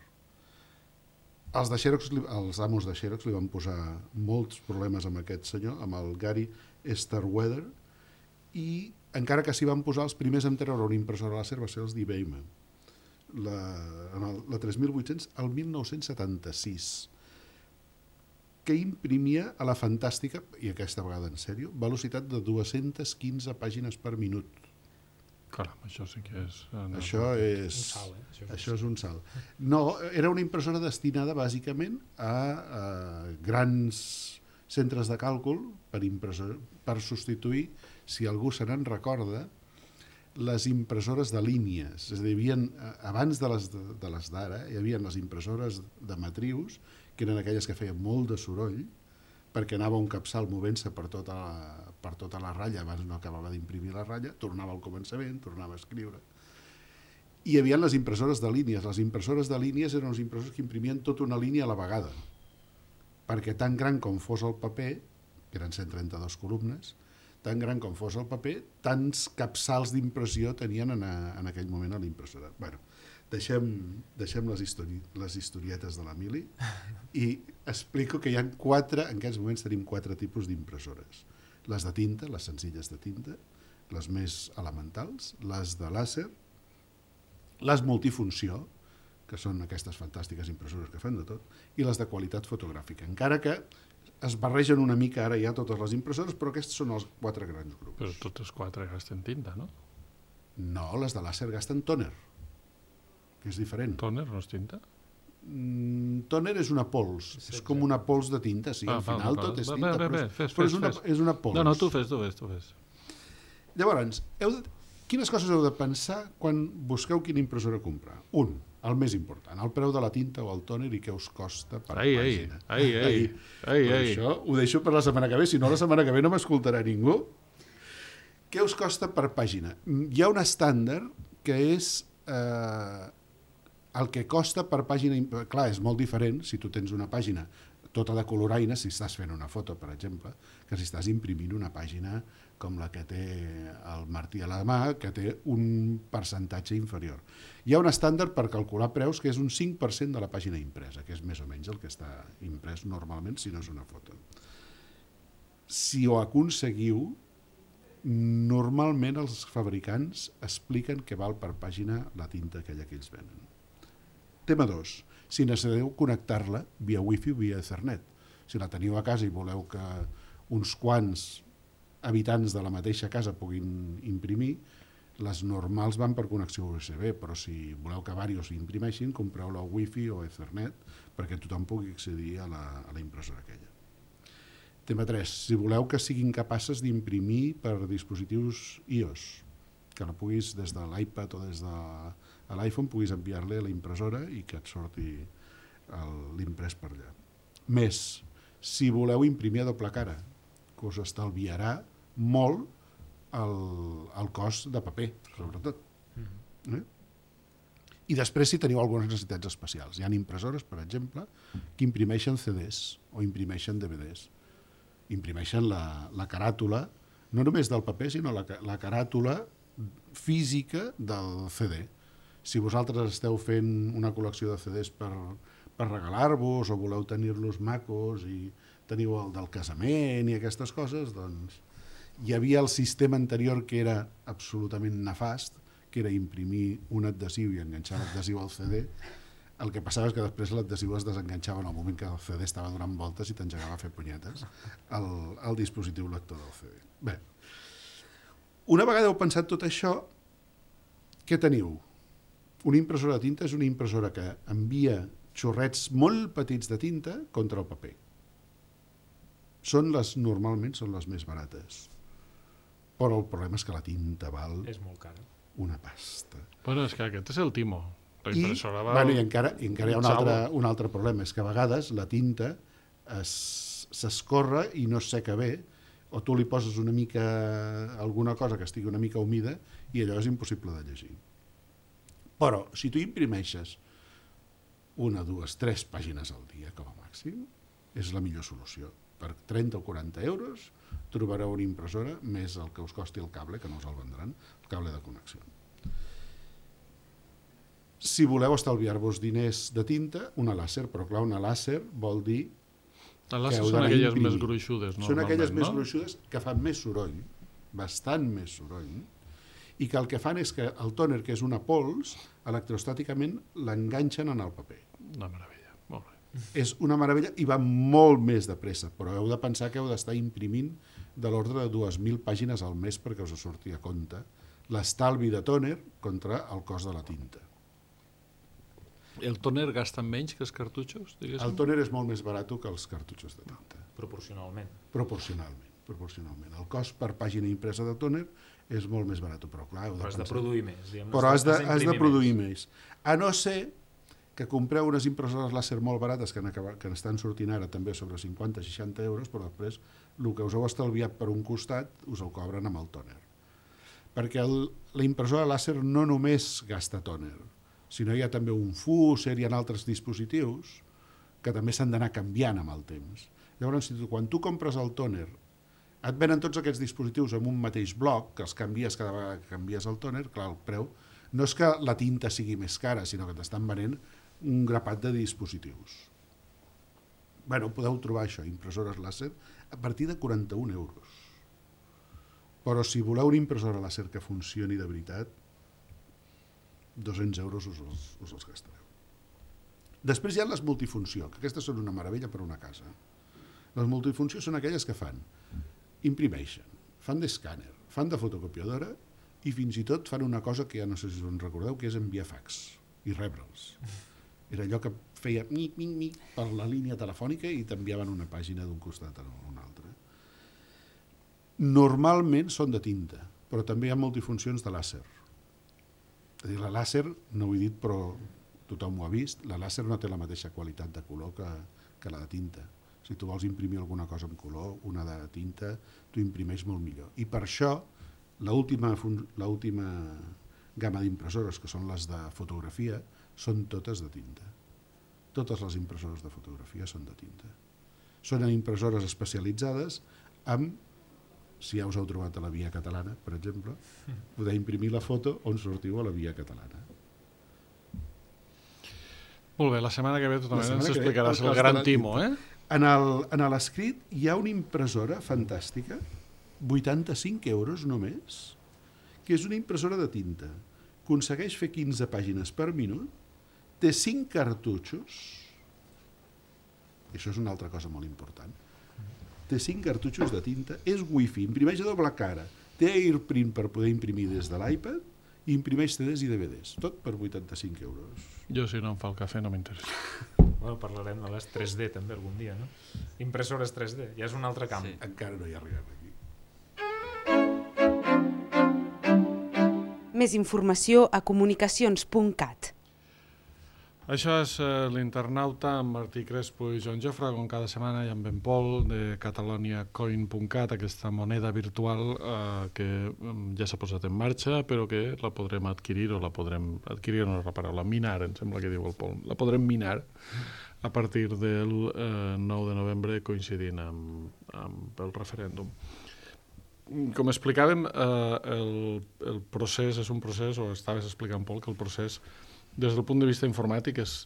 Els amos de Xerox li van posar molts problemes amb aquest senyor, amb el Gary Starkweather, i encara que s'hi van posar, els primers en treure una impressora làser va ser els d'IBM, la 3800 al 1976, que imprimia a la fantàstica, i aquesta vegada en sèrio, velocitat de 215 pàgines per minut. Caram, això sí que és... Això és un salt. No, era una impressora destinada bàsicament a grans centres de càlcul per substituir, si algú se n'en recorda, les impressores de línies. És a dir, abans de les d'ara, hi havia les impressores de matrius, que eren aquelles que feien molt de soroll, perquè anava un capçal movent-se per tota la ratlla, abans no acabava d'imprimir la ratlla, tornava al començament, tornava a escriure. I hi havia les impressores de línies. Les impressores de línies eren les impressores que imprimien tota una línia a la vegada, perquè tan gran com fos el paper, que eren 132 columnes, tan gran com fos el paper, tants capçals d'impressió tenien en aquell moment a l'impressora. Bueno, deixem les historietes de l'Emili i explico que hi ha en aquests moments tenim 4 tipus d'impressores. Les de tinta, les senzilles de tinta, les més elementals, les de làser, les multifunció, que són aquestes fantàstiques impressores que fan de tot, i les de qualitat fotogràfica. Encara que es barregen una mica ara ja totes les impressores, però aquests són els 4 grans grups. Però totes 4 gasten tinta, no? No, les de làser gasten tòner, que és diferent. Tòner no és tinta? Tòner és una pols, és com una pols de tinta, sí, al final tot és tinta, però és una pols. No, tu fes. Llavors, quines coses heu de pensar quan busqueu quina impressora comprar? El més important, el preu de la tinta o el tòner i què us costa per pàgina. Això ho deixo per la setmana que ve, si no la setmana que ve no m'escoltarà ningú. Què us costa per pàgina? Hi ha un estàndard que és el que costa per pàgina. Clar, és molt diferent si tu tens una pàgina tota de coloraina, si estàs fent una foto, per exemple, que si estàs imprimint una pàgina com la que té el Martí a la mà, que té un percentatge inferior. Hi ha un estàndard per calcular preus que és un 5% de la pàgina impresa, que és més o menys el que està imprès normalment si no és una foto. Si ho aconseguiu, normalment els fabricants expliquen què val per pàgina la tinta aquella que ells venen. Tema 2. Si necessiteu connectar-la via Wi-Fi o via Ethernet. Si la teniu a casa i voleu que uns quants habitants de la mateixa casa puguin imprimir, les normals van per connexió USB, però si voleu que diversos imprimeixin, compreu la Wi-Fi o Ethernet perquè tothom pugui accedir a la impressora aquella. Tema 3. Si voleu que siguin capaces d'imprimir per dispositius iOS, que la puguis des de l'iPad o des de l'iPhone puguis enviar-li a la impressora i que et sorti l'imprès per allà. Més, si voleu imprimir a doble cara, que us estalviarà molt el cost de paper, sobretot. I després si teniu algunes necessitats especials. Hi ha impressores, per exemple, que imprimeixen CDs o imprimeixen DVDs. Imprimeixen la caràtula, no només del paper, sinó la caràtula física del CD. Si vosaltres esteu fent una col·lecció de CDs per regalar-vos o voleu tenir-los macos i teniu el del casament i aquestes coses, doncs hi havia el sistema anterior que era absolutament nefast, que era imprimir un adhesiu i enganxar l'adhesiu al CD. El que passava és que després l'adhesiu es desenganxava en el moment que el CD estava donant voltes i t'engegava a fer punyetes al dispositiu lector del CD. Bé, una vegada heu pensat tot això, què teniu? Una impressora de tinta és una impressora que envia xorrets molt petits de tinta contra el paper. Normalment són les més barates. Però el problema és que la tinta val una pasta. Bueno, és que aquest és el timo. La impressora val... I encara hi ha un altre problema, és que a vegades la tinta s'escorre i no es seca bé, o tu li poses una mica alguna cosa que estigui una mica humida i allò és impossible de llegir. Però si tu imprimeixes 1, 2, 3 pàgines al dia com a màxim, és la millor solució, per 30 o 40 euros trobareu una impressora més el que us costi el cable, que no us el vendran, el cable de connexió. Si voleu estalviar-vos diners de tinta, una làser, però clar, una làser vol dir les làsers són aquelles més gruixudes, normalment. Són aquelles més gruixudes que fan més soroll, bastant més soroll, i que el que fan és que el tòner, que és una pols, electrostàticament l'enganxen en el paper. Una meravella, molt bé. És una meravella i va molt més de pressa, però heu de pensar que heu d'estar imprimint de l'ordre de 2.000 pàgines al mes perquè us surti a compte l'estalvi de tòner contra el cost de la tinta. El tòner gasta menys que els cartutxos, diguéssim? El tòner és molt més barat que els cartutxos de tinta. Proporcionalment. Proporcionalment. El cost per pàgina impresa de tòner és molt més barat, però clar, heu de has de produir més. Però has de produir més. A no ser que compreu unes impressores làser molt barates que estan sortint ara també sobre 50-60 euros, però després el que us heu estalviat per un costat us ho cobren amb el tòner. Perquè la impressora làser no només gasta tòner, sinó hi ha també un fúser, hi ha altres dispositius que també s'han d'anar canviant amb el temps. Llavors, quan tu compres el tòner, et venen tots aquests dispositius en un mateix bloc, que els canvies cada vegada que canvies el tòner, clar, el preu no és que la tinta sigui més cara, sinó que t'estan venent un grapat de dispositius. Bueno, podeu trobar això, impressores làser, a partir de 41 euros. Però si voleu una impressora làser que funcioni de veritat, 200 euros us els gastareu. Després hi ha les multifunció, que aquestes són una meravella per una casa. Les multifuncions són aquelles que imprimeixen, fan d'escàner, fan de fotocopiadora i fins i tot fan una cosa que ja no sé si us en recordeu, que és enviar fax i rebre'ls. Era allò que feia mic per la línia telefònica i t'enviaven una pàgina d'un costat a un altre. Normalment són de tinta, però també hi ha multifuncions de làser. És a dir, la làser, no ho he dit però tothom ho ha vist, la làser no té la mateixa qualitat de color que la de tinta. Si tu vols imprimir alguna cosa en color, una de tinta, tu imprimeix molt millor. I per això, l'última gamma d'impressores, que són les de fotografia, són totes de tinta. Totes les impressores de fotografia són de tinta. Són impressores especialitzades amb, si ja us heu trobat a la Via Catalana, per exemple, podeu imprimir la foto on sortiu a la Via Catalana. Molt bé, la setmana que ve tu també ens explicaràs el gran timo, eh? En l'escrit hi ha una impressora fantàstica, 85 euros només, que és una impressora de tinta. Aconsegueix fer 15 pàgines per minut, té 5 cartutxos, i això és una altra cosa molt important, té 5 cartutxos de tinta, és wifi, imprimeix a doble cara, té AirPrint per poder imprimir des de l'iPad, i imprimeix CDs i DVDs, tot per 85 euros. Jo, si no em fa el cafè, no m'interessa. Bueno, parlarem de les 3D també algun dia, no? Impressores 3D, ja és un altre camp. Sí. Encara no hi arribem aquí. Més informació a comunicacions.cat. Això és l'Internauta amb Martí Crespo i Joan Jofre, com cada setmana, i amb en Pol de cataloniacoin.cat, aquesta moneda virtual que ja s'ha posat en marxa, però que la podrem adquirir, o la podrem adquirir, no és la paraula, minar, em sembla que diu el Pol. La podrem minar a partir del 9 de novembre, coincidint amb el referèndum. Com explicàvem, el procés és un procés, o estaves explicant, Pol, que el procés des del punt de vista informàtic és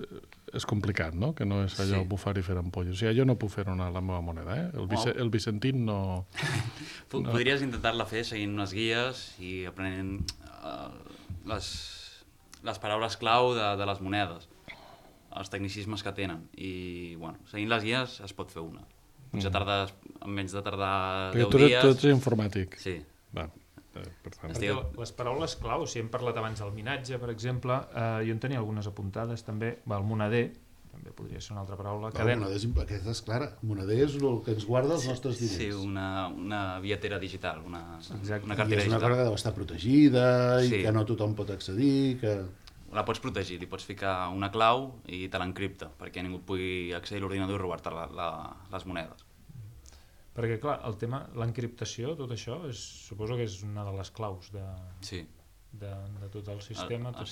complicat, no? Que no és allò bufar i fer ampolles. O sigui, jo no puc fer anar la meva moneda, eh? El Vicentín no... Podries intentar-la fer seguint unes guies i aprenent les paraules clau de les monedes, els tecnicismes que tenen. I, bueno, seguint les guies es pot fer una. Potser tardes, menys de tardar 10 dies... Tu ets informàtic. Sí. Va. Per tant. Les paraules clau, si hem parlat abans del minatge, per exemple, jo en tenia algunes apuntades també, el moneder, també podria ser una altra paraula. Aquesta és clara, moneder és el que ens guarda els nostres diners. Sí, una billetera digital, una cartera digital. I és una cosa que deu estar protegida i que no tothom pot accedir, que... La pots protegir, li pots ficar una clau i te l'encripta, perquè ningú pugui accedir a l'ordinador i robar-te les monedes. Perquè, clar, el tema, l'encriptació, tot això, suposo que és una de les claus de tot el sistema. El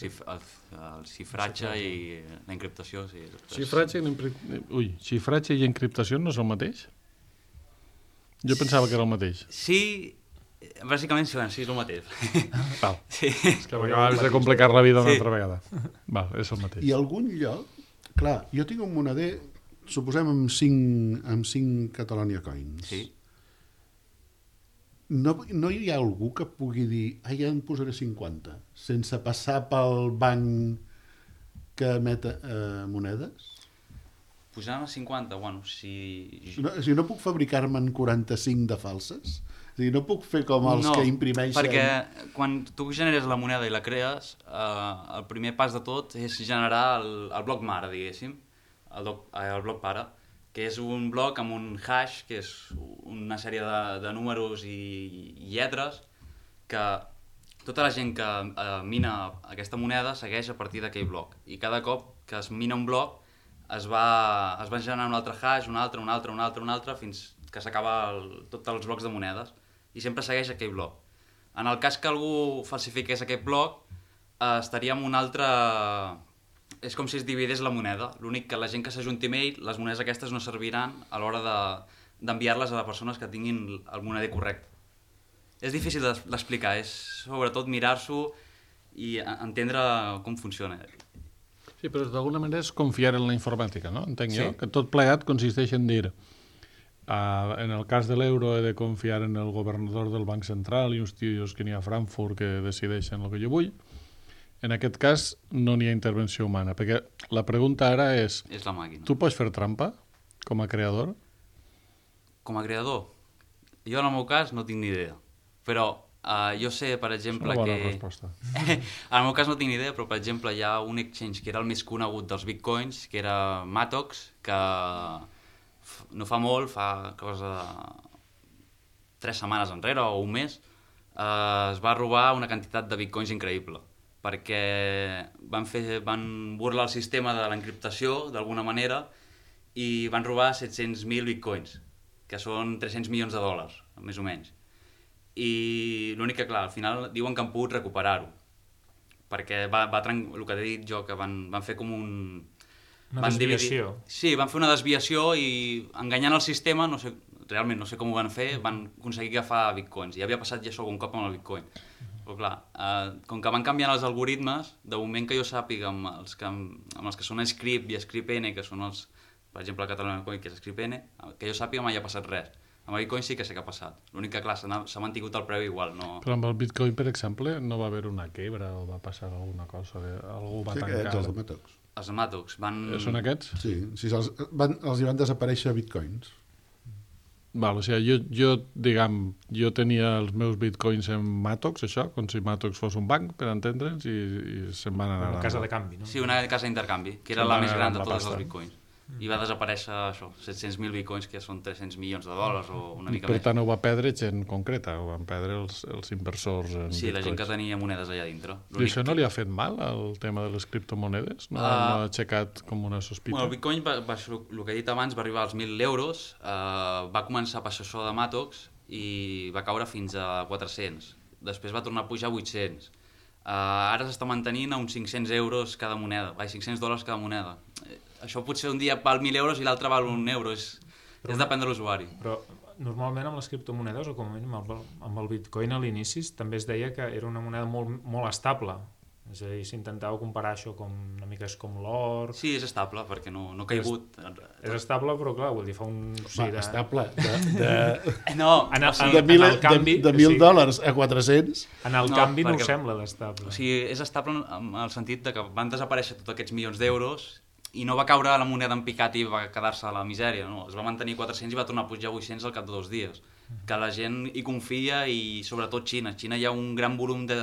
xifratge i la encriptació, sí. Xifratge i encriptació no és el mateix? Jo pensava que era el mateix. Sí, bàsicament sí, és el mateix. Val. Sí. És que m'acabes de complicar la vida una altra vegada. Val, és el mateix. I algun lloc, clar, jo tinc un moneder, suposem amb 5 Catalonia Coins. Sí. No hi ha algú que pugui dir ja en posaré 50, sense passar pel banc que emet monedes? Posant a 50, bueno, No puc fabricar-me'n 45 de falses? O sigui, no puc fer com els que imprimeixen... Perquè quan tu generes la moneda i la crees, el primer pas de tot és generar el bloc mare, diguéssim, el bloc pare, que és un bloc amb un hash, que és una sèrie de números i lletres que tota la gent que mina aquesta moneda segueix a partir d'aquell bloc. I cada cop que es mina un bloc es va generar un altre hash, un altre, fins que s'acaba tots els blocs de monedes. I sempre segueix aquell bloc. En el cas que algú falsifiqués aquest bloc, estaria en un altre... És com si es dividís la moneda. L'únic que la gent que s'ajunti amb ell, les monedes aquestes no serviran a l'hora d'enviar-les a les persones que tinguin el moneder correcte. És difícil d'explicar, és sobretot mirar-s'ho i entendre com funciona. Sí, però d'alguna manera és confiar en la informàtica, no? Entenc jo, Sí. que tot plegat consisteix en dir... en el cas de l'euro he de confiar en el governador del Banc Central i uns tios que n'hi ha a Frankfurt que decideixen el que jo vull. En aquest cas no n'hi ha intervenció humana, perquè la pregunta ara és... És la màquina. Tu pots fer trampa com a creador? Com a creador? Jo en el meu cas no tinc ni idea. Però jo sé, per exemple, és una bona que... resposta. En el meu cas no tinc ni idea, però per exemple hi ha un exchange que era el més conegut dels bitcoins, que era Matox, que no fa molt, fa cosa de 3 setmanes enrere o un mes, es va robar una quantitat de bitcoins increïble, perquè van burlar el sistema de l'encriptació d'alguna manera i van robar 700.000 bitcoins, que són 300 milions de dòlars, més o menys. I l'únic que, clar, al final diuen que han pogut recuperar-ho, perquè el que he dit jo, que van fer com un... Una desviació. Sí, van fer una desviació i enganyant el sistema, realment no sé com ho van fer, van aconseguir agafar bitcoins. Ja havia passat ja això algun cop amb el bitcoin. Però clar, com que van canviant els algoritmes, de moment que jo sàpiga amb els que són Script i Script-N, que són els, per exemple, el Catalonia Coin, que és Script-N, que jo sàpiga mai ha passat res. Amb el bitcoin sí que sé que ha passat. L'únic que, clar, s'ha mantingut el preu igual. No... Però amb el bitcoin, per exemple, no va haver una quebra o va passar alguna cosa? Algú va tancar? Sí, els de Matox. Els de Matox van... Són aquests? Sí, els hi van desaparèixer bitcoins. Val, o sigui, jo tenia els meus bitcoins en Matox, això, com si Matox fos un banc, per entendre'ns, i se'n van anar... Una casa de canvi, no? Sí, una casa d'intercanvi, que era la més gran de tots els bitcoins. I va desaparèixer això, 700.000 bitcoins, que són 300 milions de dòlars o una mica més. Per tant, ho va perdre gent concreta, ho van perdre els inversors en bitcoins. Sí, la gent que tenia monedes allà dintre. I això no li ha fet mal, el tema de les criptomonedes? No ha aixecat com una sospita? Bueno, el bitcoin, el que he dit abans, va arribar als 1.000 euros, va començar a passar això de Matox i va caure fins a 400. Després va tornar a pujar a 800. Ara s'està mantenint a uns 500 euros cada moneda, 500 dòlars cada moneda. Això potser un dia val 1.000 euros i l'altre val 1 euro, és depèn de l'usuari. Però normalment amb les criptomonedes, o com a mínim amb el bitcoin a l'inici, també es deia que era una moneda molt estable. És a dir, s'intentava comparar això com una mica com l'or... Sí, és estable, perquè no ha caigut. És estable, però clar, vull dir, fa un... Estable, no, de 1.000 dòlars a 400... En el canvi no ho sembla d'estable. O sigui, és estable en el sentit de que van desaparèixer tots aquests milions d'euros i no va caure la moneda en picat i va quedar-se a la misèria, no? Es va mantenir 400 i va tornar a pujar a 800 al cap de 2 dies. Que la gent hi confia i sobretot Xina. A Xina hi ha un gran volum de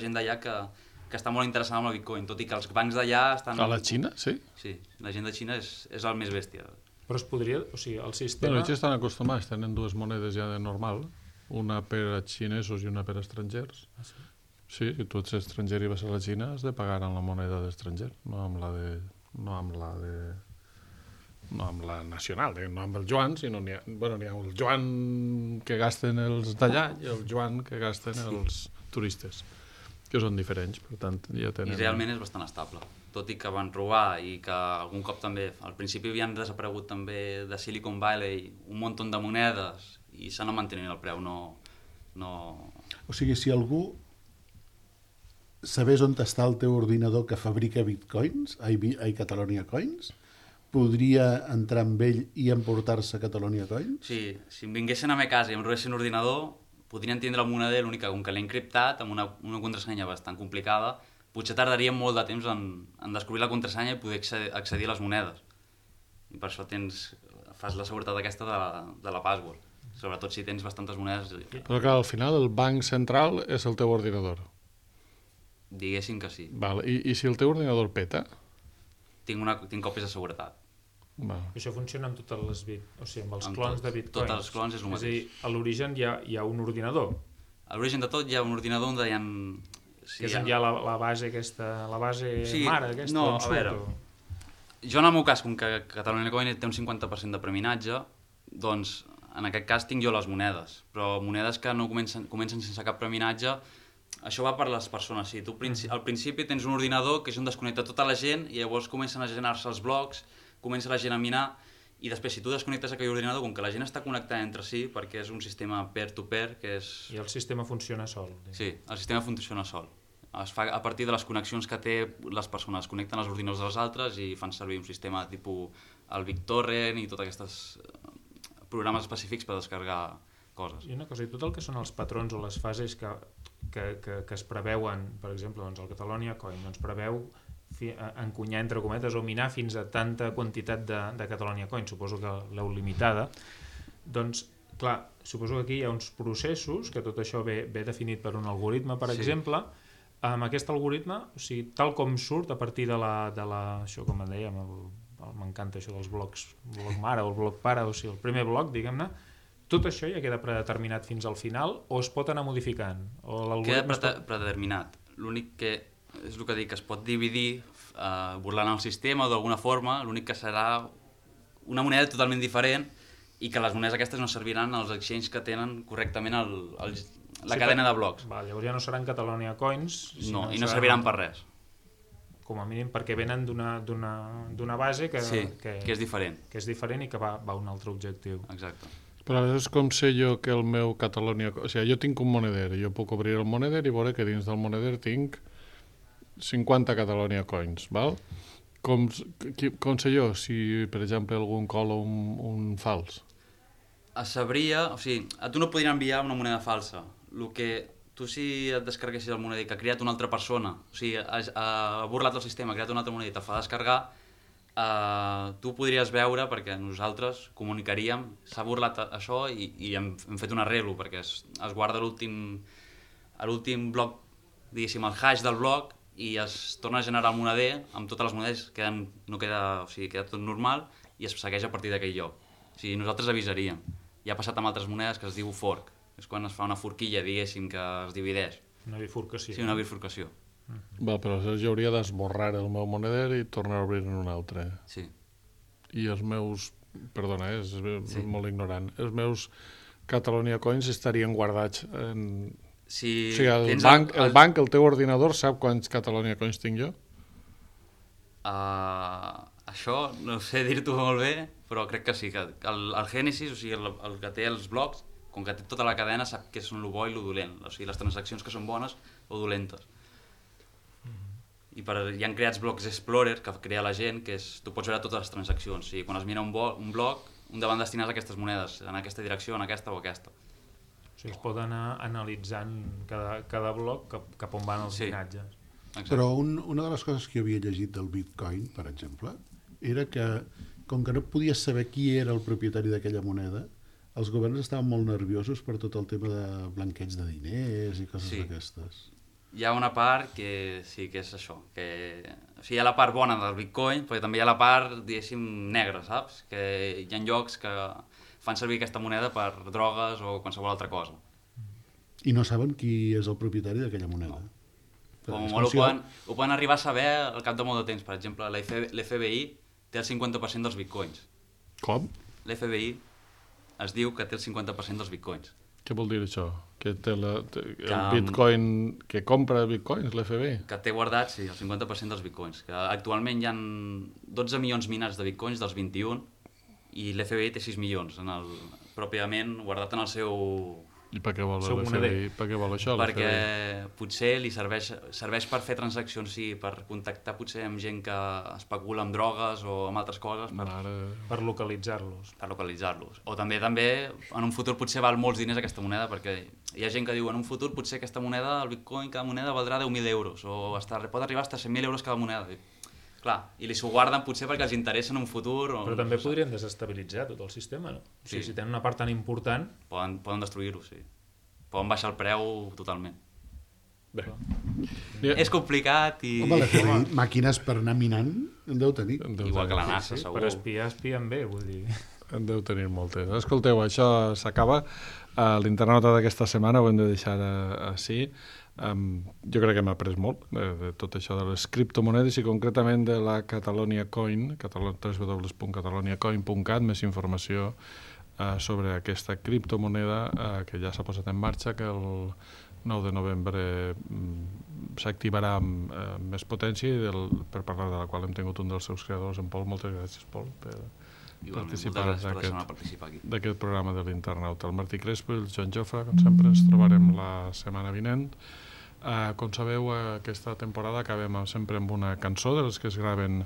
gent d'allà que està molt interessada en el bitcoin, tot i que els bancs d'allà estan... A la Xina, sí? Sí, la gent de Xina és el més bèstia. Però es podria... O sigui, el sistema... Bueno, ells estan acostumats, tenen 2 monedes ja de normal, una per a xinesos i una per a estrangers. Ah, sí? Sí, si tu ets estranger i vas a la Xina has de pagar amb la moneda d'estranger, no amb la nacional, no amb el yuan, sinó n'hi ha el yuan que gasten els d'allà i el yuan que gasten els turistes, que són diferents, per tant ja tenen... I realment és bastant estable, tot i que van robar i que algun cop també, al principi havien desaparegut també de Silicon Valley un munt de monedes i s'han de mantenir el preu, no... O sigui, si algú sabés on està el teu ordinador que fabrica bitcoins, Catalonia Coins, podria entrar amb ell i emportar-se Catalonia Coins? Sí, si em vinguessin a la meva casa i em robessin un ordinador, podrien tindre el moneder, l'únic que com que l'he encriptat amb una contrasenya bastant complicada, potser tardaria molt de temps en descobrir la contrasenya i poder accedir a les monedes. I per això fas la seguretat aquesta de la password, sobretot si tens bastantes monedes. Però clar, al final el banc central és el teu ordinador. Diguéssim que sí. Val. I si el teu ordinador peta? Tinc còpies de seguretat. Això funciona amb totes les amb els clons de bitcoins. Tots els clons és el mateix. És a dir, a l'origen hi ha un ordinador. A l'origen de tot hi ha un ordinador on hi ha... Sí, és on hi ha la base aquesta, la base mare aquesta? No, a veure, jo en el meu cas, com que Catalonia Coin té un 50% de preminatge, doncs en aquest cas tinc jo les monedes, però monedes que no comencen sense cap preminatge, això va per les persones. Sí, tu al principi tens un ordinador que és on desconnecta tota la gent i llavors comencen a generar-se els blocs, comença la gent a minar i després si tu desconnectes aquell ordinador, com que la gent està connectada entre si, perquè és un sistema peer-to-peer, que és... I el sistema funciona sol. Sí, el sistema funciona sol. Es fa a partir de les connexions que té les persones, connecten els ordinadors dels altres i fan servir un sistema tipus el BitTorrent i tots aquests programes específics per descarregar coses. I una cosa, i tot el que són els patrons o les fases que es preveuen, per exemple, doncs el Catalonia Coin doncs preveu encunyar, entre cometes, o minar fins a tanta quantitat de Catalonia Coin, suposo que l'heu limitada, doncs, clar, suposo que aquí hi ha uns processos, que tot això ve definit per un algoritme, per exemple. Amb aquest algoritme, o sigui, tal com surt a partir de la això com en dèiem, m'encanta això dels blocs, bloc mare o el bloc pare, o sigui, el primer bloc, diguem-ne, tot això ja queda predeterminat fins al final o es pot anar modificant? Queda predeterminat. L'únic que és el que dic, que es pot dividir burlant el sistema o d'alguna forma, l'únic que serà una moneda totalment diferent i que les monedes aquestes no serviran als exchanges que tenen correctament la cadena de blocs. Llavors ja no seran Catalonia Coins. No, i no serviran per res. Com a mínim perquè venen d'una base que és diferent. Que és diferent i que va a un altre objectiu. Exacte. Però és com sé jo que el meu Catalonia... O sigui, jo tinc un moneder, jo puc obrir el moneder i veure que dins del moneder tinc 50 Catalonia Coins, val? Com sé jo si, per exemple, algú cola un fals? Es sabria... O sigui, a tu no podrien enviar una moneda falsa. El que tu, si et descarreguessis el moneder que ha creat una altra persona, o sigui, ha burlat el sistema, ha creat una altra moneda i te fa descarregar, tu podries veure, perquè nosaltres comunicaríem, s'ha burlat això i hem fet un arreglo, perquè es guarda l'últim bloc, diguéssim, el hash del bloc, i es torna a generar el moneder amb totes les monedes, queda tot normal i es segueix a partir d'aquell lloc. O sigui, nosaltres avisaríem. Ja ha passat amb altres monedes que es diu fork, és quan es fa una forquilla, diguéssim, que es divideix. Una bifurcació. Sí, una bifurcació. Val, però jo hauria d'esborrar el meu moneder i tornar a obrir un altre. Sí. I els meus, perdona, és molt ignorant, els meus Catalonia Coins estarien guardats en... O sigui, el banc, el teu ordinador, sap quants Catalonia Coins tinc jo? Això no sé dir-t'ho molt bé, però crec que sí, que el Genesis, o sigui, el que té els blocs, com que té tota la cadena, sap què és el bo i el dolent, o sigui, les transaccions que són bones o dolentes. I hi han creats blocs Explorer que crea la gent, que tu pots veure totes les transaccions. O sigui, quan es mira un bloc, un van destinats a aquestes monedes, en aquesta direcció, en aquesta o aquesta. O sigui, es pot anar analitzant cada bloc cap on van els llinatges. Exacte. Però una de les coses que jo havia llegit del Bitcoin, per exemple, era que, com que no podies saber qui era el propietari d'aquella moneda, els governs estaven molt nerviosos per tot el tema de blanqueig de diners i coses d'aquestes. Hi ha una part que sí que és això, que o sigui, hi ha la part bona del Bitcoin, però també hi ha la part, diguéssim, negra, saps? Que hi ha llocs que fan servir aquesta moneda per drogues o qualsevol altra cosa. I no saben qui és el propietari d'aquella moneda. No. Com molt ho poden arribar a saber al cap de molt de temps. Per exemple, l'FBI té el 50% dels bitcoins. Com? L'FBI es diu que té el 50% dels bitcoins. Què vol dir això? Que té el bitcoin... Que compra bitcoins, l'FBI? Que té guardats, sí, el 50% dels bitcoins. Que actualment hi ha 12 milions minats de bitcoins dels 21 i l'FBI té 6 milions. pròpiament guardat en el seu... I per què vol això? Perquè potser li serveix per fer transaccions, sí, per contactar potser amb gent que especula amb drogues o amb altres coses. Per localitzar-los. Per localitzar-los. O també en un futur potser val molts diners aquesta moneda, perquè hi ha gent que diu en un futur potser aquesta moneda, el bitcoin, cada moneda valdrà 10.000 euros, o pot arribar a 100.000 euros cada moneda. Clar, i li s'ho guarden potser perquè els interessa en un futur. Però també podrien desestabilitzar tot el sistema, no? O sigui, si tenen una part tan important... Poden destruir-ho, sí. Poden baixar el preu totalment. Bé. És complicat i... Home, màquines per anar minant en deu tenir. Igual que la NASA, segur. Per espiar, espien bé, vull dir... En deu tenir moltes. Escolteu, això s'acaba. L'internauta d'aquesta setmana ho hem de deixar així. Jo crec que hem après molt de tot això de les criptomonedes i concretament de la Catalonia Coin, www.cataloniacoin.cat, més informació sobre aquesta criptomoneda que ja s'ha posat en marxa, que el 9 de novembre s'activarà amb més potència i per parlar de la qual hem tingut un dels seus creadors, en Pol. Moltes gràcies, Pol, per participar d'aquest programa de l'Internauta. El Martí Crespo i el Joan Jofre, com sempre, ens trobarem la setmana vinent. Com sabeu, aquesta temporada acabem sempre amb una cançó de les que es graven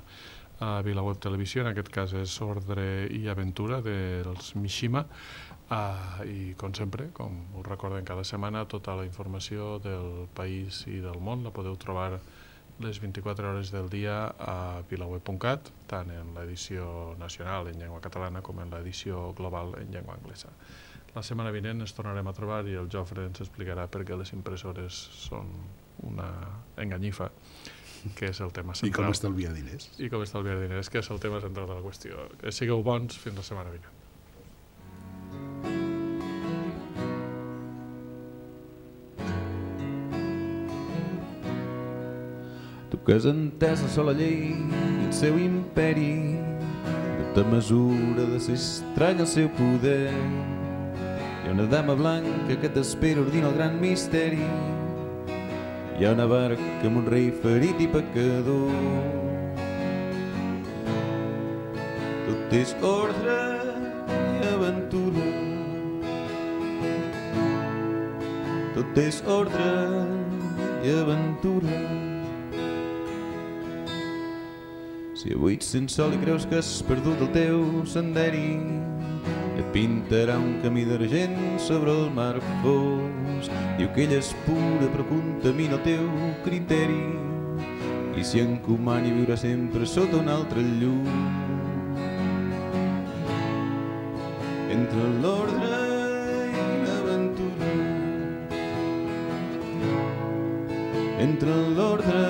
a VilaWeb Televisió, en aquest cas és Ordre i Aventura dels Mishima, i com sempre, com us recordem cada setmana, tota la informació del país i del món la podeu trobar les 24 hores del dia a vilaweb.cat, tant en l'edició nacional en llengua catalana com en l'edició global en llengua anglesa. La setmana vinent ens tornarem a trobar i el Jofre ens explicarà per què les impressores són una enganyifa, que és el tema central. I com estalviar diners. I com estalviar diners, que és el tema central de la qüestió. Que sigueu bons fins la setmana vinent. Tu que has entès la sola llei i el seu imperi, no te mesura de ser estrany el seu poder. Hi ha una dama blanca que t'espera ordina el gran misteri. Hi ha una barca amb un rei ferit i pecador. Tot és ordre i aventura. Tot és ordre i aventura. Si avui ets sense sol i creus que has perdut el teu senderi, et pintarà un camí d'argent sobre el mar fos. Diu que ella és pura però contamina el teu criteri i s'hi encomana i viurà sempre sota un altre llum. Entre l'ordre i l'aventura, entre l'ordre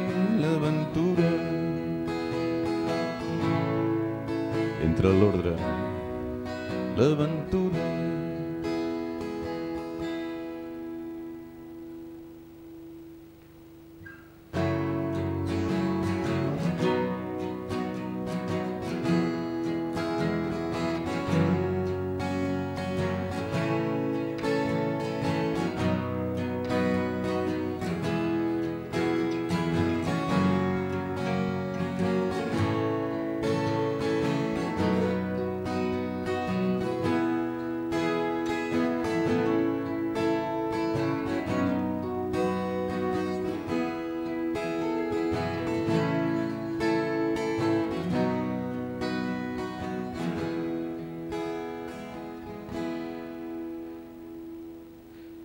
i l'aventura, entre l'ordre, l'aventura.